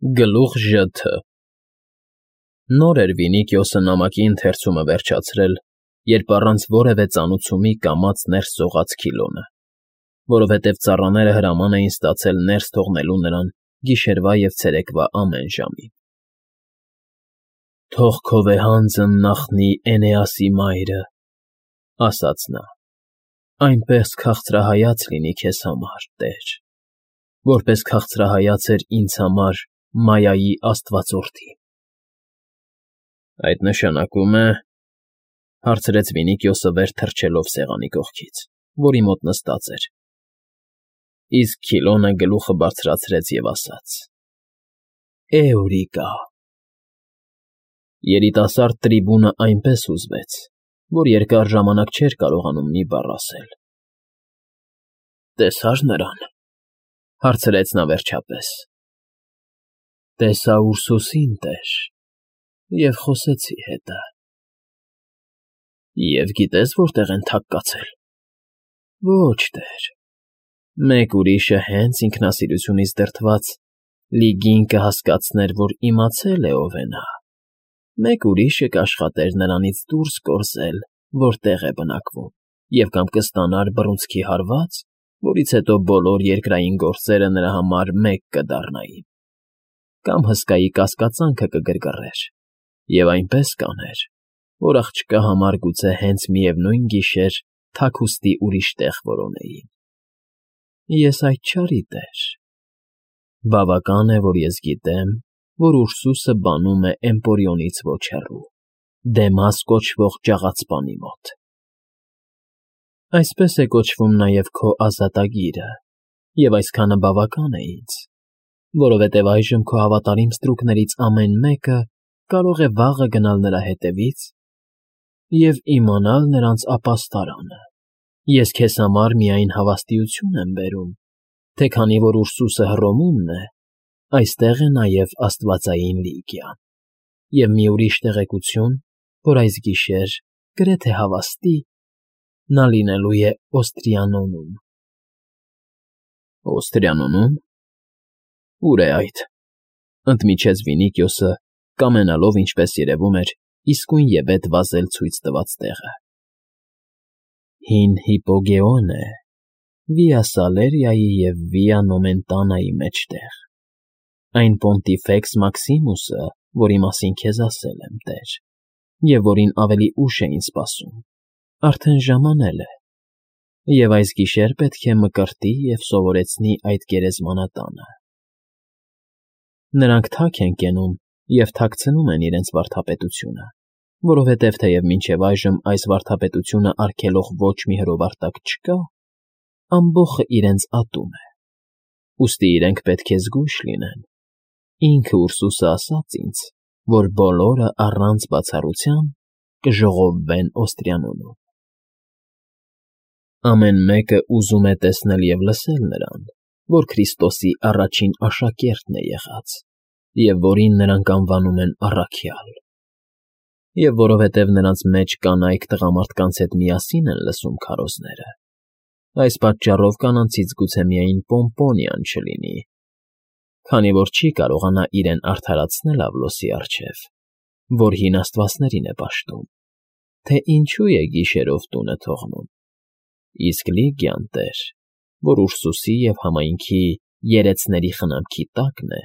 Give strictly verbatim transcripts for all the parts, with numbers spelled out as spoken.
Գլուխ Ժ Թ Նոր էր Վինիքիոսը նամակի ընթերցումը վերջացրել, երբ առանց որևէ ծանուցումի կամաց ներս սողաց Քիլոնը, որովհետև ծառաները հրաման էին ստացել ներս թողնելու նրան գիշերվա և ցերեկվա ամեն ժամին։ ֊ Թող քո վեհանձն նախնի Էնեասի մայրը,֊ ասաց նա,֊ այնպես քաղցրահայաց լինի քեզ համար, տեր, որպես քաղցրահայաց էր ինձ համար Մայայի աստվածորդին։ ֊ Այդ նշանակում է,֊ հարցրեց Վինիքիոսը վեր թռչելով սեղանի կողքից, որի մոտ նստած էր։ Իսկ Քիլոնը գլուխը բարձրացրեց և ասաց. Էուրիկա… Երիտասարդ տրիբունը այնպես հուզվեց, որ երկար ժամանակ չէր կարողանում մի բառ ասել։ ֊ Տեսա՞ր նրան,֊ հարցրեց նա վերջապես։ ֊ Տեսա Ուրսուսին, տեր, և խոսեցի հետը։ ֊ Եվ գիտե՞ս որտեղ են թաք կացել։ ֊ Ոչ, տեր, մեկ ուրիշը հենց ինքնասիրությունից դրդված լիգին կհասկացներ, որ իմացել է ով է նա, մեկ ուրիշը կաշխատեր նրանից դուրս կորզել, որտեղ է բնակվում, և կամ կստանար բռունցքի հարված, որից հետո բոլոր երկրային գործերը նրա համար մեկ կդառնային, կամ հսկայի կասկածանքը կգրգռեր, և այնպես կաներ, որ աղջկա համար գուցե հենց միևնույն գիշեր թաքուստի ուրիշ տեղ որոնեին։ Ես այդ չարի, տեր։ Բավական է, որ ես գիտեմ, որ Ուրսուսը բանում է Էմպորիոնից ոչ հեռու, Դեմաս կոչվող ճաղացպանի մոտ։ Այսպես է կոչվում նաև քո ազատագիրը, և այսքանը բավական է ինձ, որովհետև այժմ քո հավատարիմ ստրուկներից ամեն մեկը կարող է վաղը գնալ նրա հետևից և իմանալ նրանց ապաստարանը։ Ես քեզ համար միայն հավաստիություն եմ բերում, թե քանի որ Ուրսուսը Հռոմումն է, այստեղ է նաև աստվածային Լիգիան, և մի ուրիշ տեղեկություն, որ այս գիշեր, գրեթե հավաստի, նա լինելու է Օստրիանոնում։ ֊ Օստրիանո՞ւմ… Ո՞ւր է այդ,֊ ընդմիջեց Վինիքիոսը, կամենալով, ինչպես երևում էր, իսկույնևեթ վազել ցույց տված տեղը։ ֊ Հին Հիպոգեոն է, Վիա Սալերիայի և Վիա Նոմենտանայի մեջտեղ, այն Պոնտիֆեքս Մաքսիմուսը, որի մասին քեզ ասել եմ, տեր, և որին ավելի ուշ էին սպասում, արդեն ժամանել է, և այս գիշեր պետք է մկրտի և սովորեցնի այդ գերեզմանատանը։ Նրանք թաք են կենում և թաքցնում են իրենց վարդապետությունը, որովհետև թեև մինչև այժմ այս վարդապետությունը արգելող ոչ մի հրովարտակ չկա, ամբոխը իրենց ատում է, ուստի իրենք պետք է զգույշ լինեն։ Ինքը Ուրսուսը ասաց ինձ, որ բոլորը առանց բացառության կժողովվեն Օստրիանոնում։ Ամեն մեկը ուզում է տեսնել և լսել նրան, որ Քրիստոսի առաջին աշակերտն է եղած, և որին նրանք անվանում են առաքյալ։ Եվ որովհետև նրանց մեջ կանայք տղամարդկանց հետ միասին են լսում քարոզները, այս պատճառով կանանցից գուցե միայն Պոմպոնիան չլինի, քանի որ չի կարողանա իրեն արդարացնել Ավլոսի առջև, որ հին աստվածներին է պաշտում, թե ինչու է գիշերով տունը թողնում, իսկ Լիգիան, տեր, որ Ուրսուսի և համայնքի երեցների խնամքի տակն է,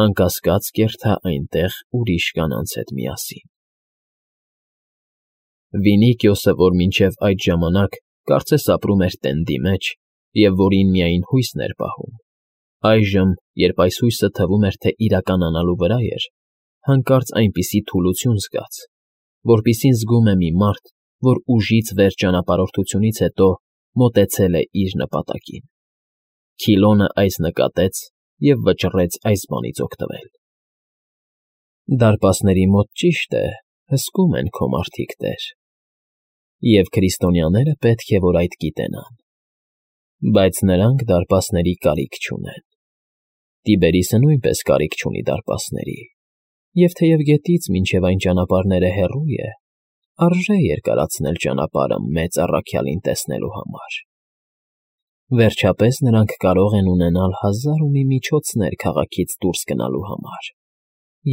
անկասկած կերթա այնտեղ ուրիշ կանանց հետ միասին։ Վինիքիոսը, որ մինչև այդ ժամանակ կարծես ապրում էր տենդի մեջ և որին միայն հույսն էր պահում, այժմ, երբ այս հույսը թվում էր, թե իրականանալու վրա էր, հանկարծ այնպիսի թուլություն զգաց, որպիսին զգում է մի մարդ, որ ուժից վեր ճանապարհորդությունից հետո մոտեցել է իր նպատակին։ Քիլոնը այս նկատեց և վճռեց այս բանից օգտվել։ ֊ Դարպասների մոտ, ճիշտ է, հսկում են քո մարդիկ, տեր, և քրիստոնյաները պետք է որ այդ գիտենան, բայց նրանք դարպասների կարիք չունեն։ Տիբերիսը նույնպես կարիք չունի դարպասների, և թեև գետից մինչև այն ճանապարհները հեռու է, արժե երկարացնել ճանապարհը մեծ առաքյալին տեսնելու համար։ Վերջապես նրանք կարող են ունենալ հազար ու մի միջոցներ քաղաքից դուրս գնալու համար,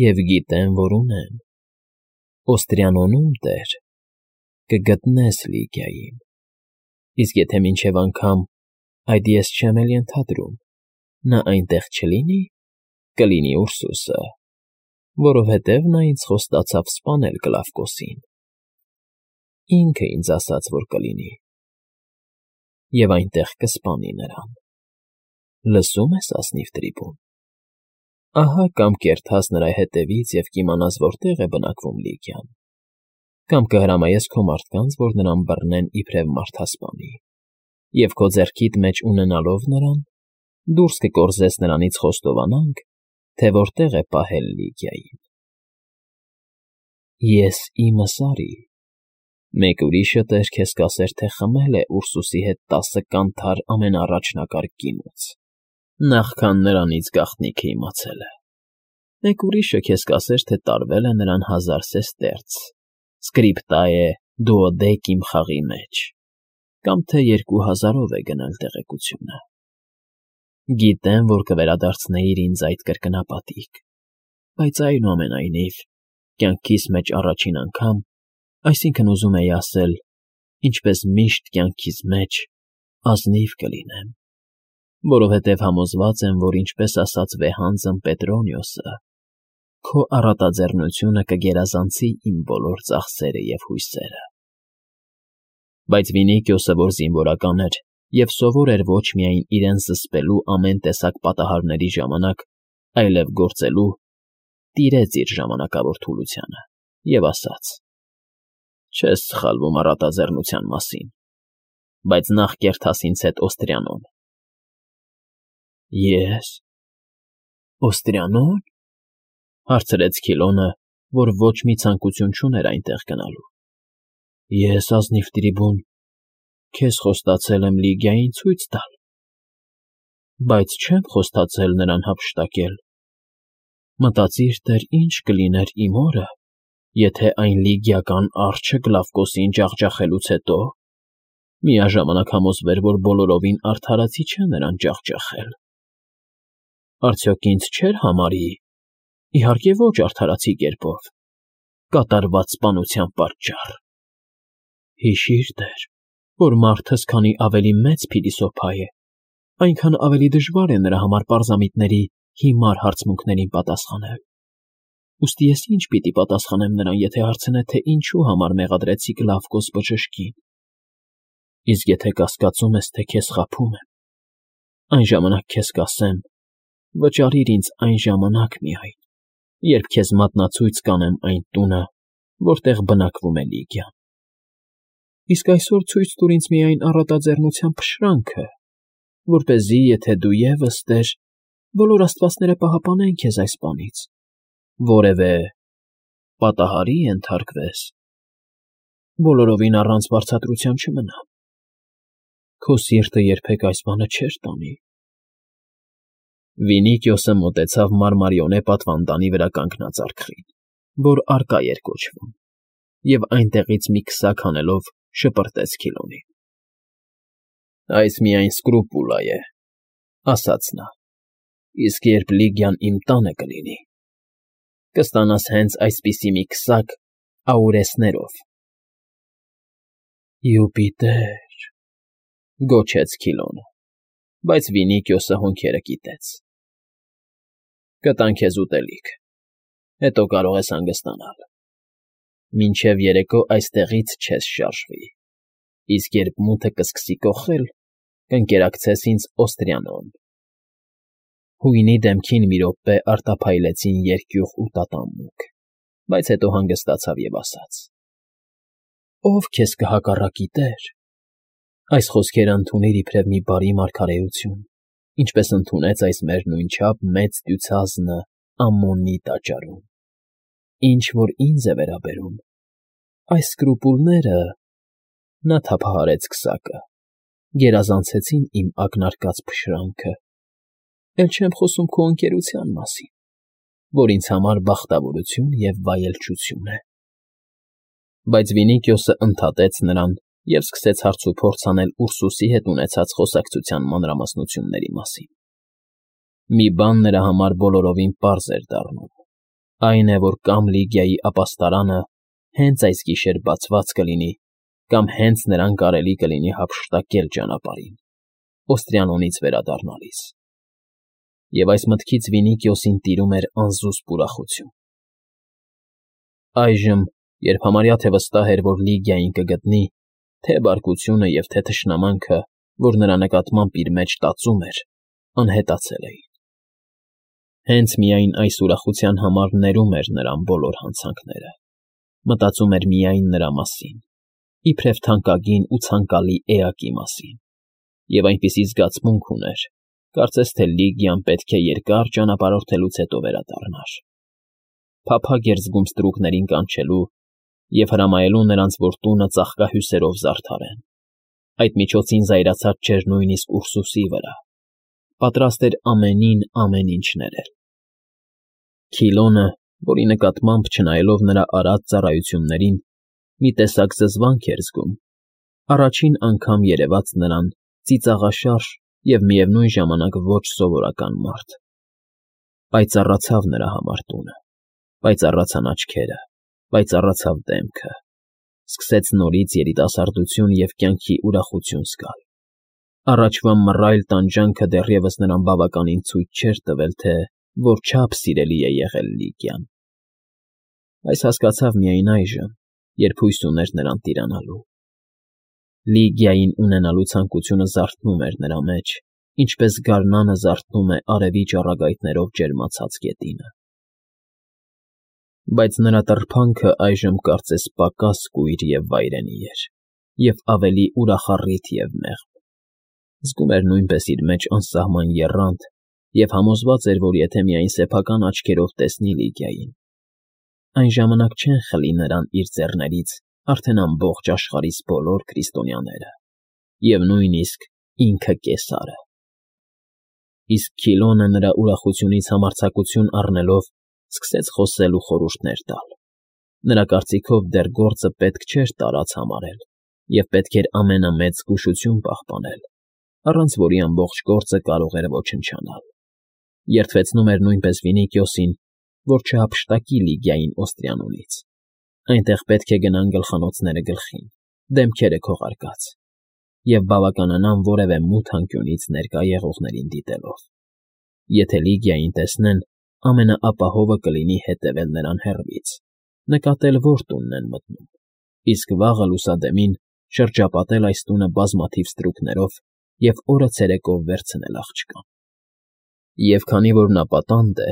և գիտեն, որ ունեն. Օստրիանոնում, տեր, կգտնես Լիգիային, իսկ եթե մինչև անգամ, այդ ես չեմ էլ ենթադրում, նա այնտեղ չլինի, կլինի Ուրսուսը, որովհետև նա ինձ խոստացավ սպանել Կլավկոսին, ինքը ինձ ասաց, որ կլինի, և այնտեղ կսպանի նրան, լսում ես, ազնիվ Տրիբուն, ահա կամ կերթաս նրա հետևից և կիմանաս որտեղ է բնակվում Լիգիան, կամ կհրամայես քո մարդկանց, որ նրան բռնեն իբրև մարդասպանի, և քո ձեռքիդ մեջ ունենալով նրան, դուրս կկորզես նրանից խոստովանանք, թե որտեղ է պահել Լիգիային։ Ես իմս արի, մեկ ուրիշը տեր քեզ կասեր, թե խմել է Ուրսուսի հետ տասը կանթար ամենաառաջնակարգ գինուց, նախքան նրանից գաղտնիքը իմացել է, մեկ ուրիշը քեզ կասեր, թե տարվել է նրան հազար սեստերց, սկրիպտայե դուոդեկիմ խաղի մեջ, կամ թե երկու հազարով է գնել տեղեկությունը։ Գիտեմ, որ կվերադարձնեիր ինձ այդ կրկնապատիկ, բայց այնուամենայնիվ, կյանքիս մեջ առաջին անգամ, այսինքն ուզում էի ասել, ինչպես միշտ կյանքիս մեջ, ազնիվ կլինեմ, որովհետև համոզված եմ, որ ինչպես ասաց վեհանձն Պետրոնիոսը, քո առատաձեռնությունը կգերազանցի իմ բոլոր ծախսերը և հույսերը։ Բայց Վինիկիոսը, որ զինվորական էր և սովոր էր ոչ միայն իրեն զսպելու ամեն տեսակ պատահարների ժամանակ, այլև գործելու, տիրեց իր ժամանակավոր թուլությանը և ասաց. «Չես սխալվում առատաձեռնության մասին, բայց նախ կերթաս ինձ հետ Օստրիանոն»։ Ե՞ս, Օստրիանո՞ն,֊ հարցրեց Քիլոնը, որ ոչ մի ցանկություն չուներ այնտեղ գնալու։ Ես, ազնիվ Տրիբուն, քեզ խոստացել եմ Լիգիային ցույց տալ, բայց չեմ խոստացել նրան հափշտակել։ Մտածիր, տեր, ինչ կլիներ իմ օրը, եթե այն լիգիական արջը Կլավկոսին ջախջախելուց հետո միաժամանակ համոզվեր, որ բոլորովին արդարացի չէ նրան ջախջախել։ Արդյոք ինձ չէր համարի, իհարկե ոչ արդարացի կերպով, կատարված սպանության պատճառ։ Հիշիր, տեր, որ մարդս քանի ավելի մեծ փիլիսոփա է, այնքան ավելի դժվար է նրա համար պարզամիտների հիմար հարցմունքներին պատասխանել։ Ուստի ես ինչ պիտի պատասխանեմ նրան, եթե հարցնե, թե ինչու համար մեղադրեցի Կլավկոս բժշկին։ Իսկ եթե կասկածում ես, թե քեզ խաբում եմ, այն ժամանակ քեզ կասեմ, վճարիր ինձ այն ժամանակ միայն, երբ քեզ մատնացույց կանեմ այն տունը, որտեղ բնակվում է Լիգիան։ Իսկ այսօր ցույց տուր ինձ միայն առատաձեռնության փշրանքը, որպեսզի, եթե դու ևս, տեր, բոլոր աստվածները պահապանեն քեզ այս բանից, որևէ պատահարի ենթարկվես, բոլորովին առանց վարձատրության չմնամ։ Քո սիրտը երբեք այս բանը չէր տանի։ Վինիկիոսը մոտեցավ մարմարիոնե պատվանդանի վրա կանգնած արկղին, որ Արկա էր կոչվում, և այնտեղից մի քսակ հանելով շպրտեց Քիլոնին։ Այս միայն սկրուպուլա է, ասաց նա, իսկ երբ Լիգիան իմ տանը կլինի, կստանաս հենց այսպիսի մի քսակ աուրեսներով։ Յուպիտեր,֊ գոչեց Քիլոնը, բայց Վինիկիոսը հոնքերը կիտեց։ Կտան քեզ ուտելիք, հետո կարող ես հանգստանալ։ Մինչև երեկո այստեղից չես շարժվի, իսկ երբ մութը կսկսի կոխել, կընկերակցես ինձ Օստրիանոն։ Հույնի դեմքին մի րոպե արտափայլեցին երկյուղ ու տատանմուկ, բայց հետո հանգստացավ և ասաց. «Ով քեզ կհակառակի, տեր»։ Այս խոսքերը ընդունիր իբրև մի բարի մարգարեություն, ինչպես ընդունեց այս մեր նույնչափ մեծ դյուցազնը Ամմոնի տաճարում։ Ինչ որ ինձ է վերաբերում, այս սկրուպուլները (նա թափահարեց քսակը) գերազանցեցին իմ ակնարկած փշրանքը, էլ չեմ խոսում քո ընկերության մասին, որ ինձ համար բախտավորություն և վայելչություն է։ Բայց Վինիկիոսը ընդհատեց նրան, և սկսեց հարցուփորձ անել Ուրսուսի հետ ունեցած խոսակցության մանրամասնությունների մասին։ Մի բան նրա համար բոլորովին պարզ էր դառնում. այն է, որ կամ Լիգիայի ապաստարանը հենց այս գիշեր բացված կլինի, կամ հենց նրան կարելի կլինի հափշտակել ճանապարհին, Օստրիանոնից վերադառնալիս։ Եվ այս մտքից Վինիկիոսին տիրում էր անզուսպ ուրախություն։ Այժմ, երբ համարյա թե վստահ էր, որ Լիգիային կգտնի, թե բարկությունը և թե թշնամանքը, որ նրա նկատմամբ իր մեջ տածում էր, անհետացել էին։ Հենց միայն այս ուրախության համար ներում էր նրան բոլոր հանցանքները, մտածում էր միայն նրա մասին, իբրև թանկագին ու ցանկալի էակի մասին, և այնպիսի զգացմունք ուներ, կարծես թե Լիգիան պետք է երկար ճանապարհորդելուց հետո վերադառնար։ Փափագ էր զգում ստրուկներին կանչելու և հրամայելու նրանց, որ տունը ծաղկահյուսերով զարդարեն։ Այդ միջոցին զայրացած չէր նույնիսկ Ուրսուսի վրա, պատրաստ էր ամենին ամեն ինչ ներել։ Քիլոնը, որի նկատմամբ, չնայելով նրա արած ծառայություններին, մի տեսակ զզվանք էր զգում, առաջին անգամ երևաց նրան ծիծաղաշարժ և միևնույն ժամանակ ոչ սովորական մարդ։ Պայծառացավ նրա համար տունը, պայծառացան աչքերը, պայծառացավ դեմքը, սկսեց նորից երիտասարդություն և կյանքի ուրախություն զգալ։ Առաջվա մռայլ տանջանքը դեռևս նրան բավականին ցույց չէր տվել, թե որչափ սիրելի է եղել Լիգիան։ Այս հասկացավ միայն այժմ, երբ հույս ուներ նրան տիրանալու։ Լիգիային ունենալու ցանկությունը զարթնում էր նրա մեջ, ինչպես գարնանը զարթնում է արևի ճառագայթներով ջերմացած գետինը։ Բայց նրա տրփանքը այժմ կարծես պակաս կույր և վայրենի էր, և ավելի ուրախառիթ և մեղմ։ Զգում էր նույնպես իր մեջ անսահման եռանդ և համոզված էր, որ եթե միայն սեփական աչքերով տեսնի Լիգիային, այն ժամանակ չեն խլի նրան իր ձեռներից արդեն ամբողջ աշխարհիս բոլոր քրիստոնյաները և նույնիսկ ինքը Կեսարը։ Իսկ Քիլոնը նրա ուրախությունից համարձակություն առնելով սկսեց խոսել ու խորհուրդներ տալ։ Նրա կարծիքով դեռ գործը պետք չէր տարած համարել և պետք էր ամենամեծ զգուշություն պահպանել, առանց որի ամբողջ գործը կարող էր ոչնչանալ։ Երդվեցնում էր նույնպես Վինիկիոսին, որ չհափշտակի Լիգիային Օստրիանոնից։ Այնտեղ պետք է գնան գլխանոցները գլխին, դեմքերը քողարկած, և բավականանան որևէ մութ անկյունից ներկա եղողներին դիտելով։ Եթե Լիգիային տեսնեն, ամենաապահովը կլինի հետևել նրան հեռվից, նկատել որ տունն են մտնում, իսկ վաղը լուսադեմին շրջապատել այս տունը բազմաթիվ ստրուկներով և օրը ցերեկով վերցնել աղջկան։ Եվ քանի որ նա պատանդ է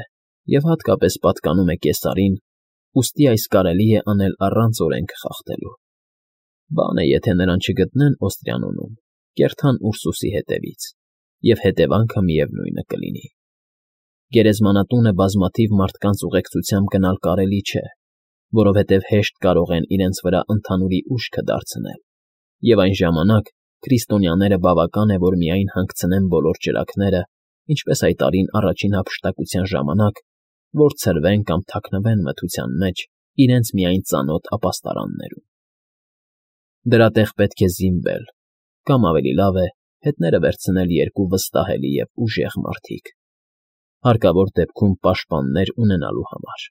և հատկապես պատկանում է Կեսարին, ուստի այս կարելի է անել առանց օրենք խախտելու։ Բան է, եթե նրան չգտնեն Օստրիանոնում, կերթան Ուրսուսի հետևից, և հետևանքը միևնույնը կլինի։ Գերեզմանատունը բազմաթիվ մարդկանց ուղեկցությամբ գնալ կարելի չէ, որովհետև հեշտ կարող են իրենց վրա ընդհանուրի ուշքը դարձնել, և այն ժամանակ քրիստոնյաները բավական է, որ միայն հանգցնեն բոլոր ճրագները, ինչպես այդ տարին առաջին հափշտակության ժամանակ, որ ցրվեն կամ թաքնվեն մթության մեջ իրենց միայն ծանոթ ապաստարաններում։ Դրա տեղ պետք է զինվել, կամ ավելի լավ է, հետները վերցնել երկու վստահելի և ուժեղ մարդիկ, հարկավոր դեպքում պաշտպաններ ունենալու համար։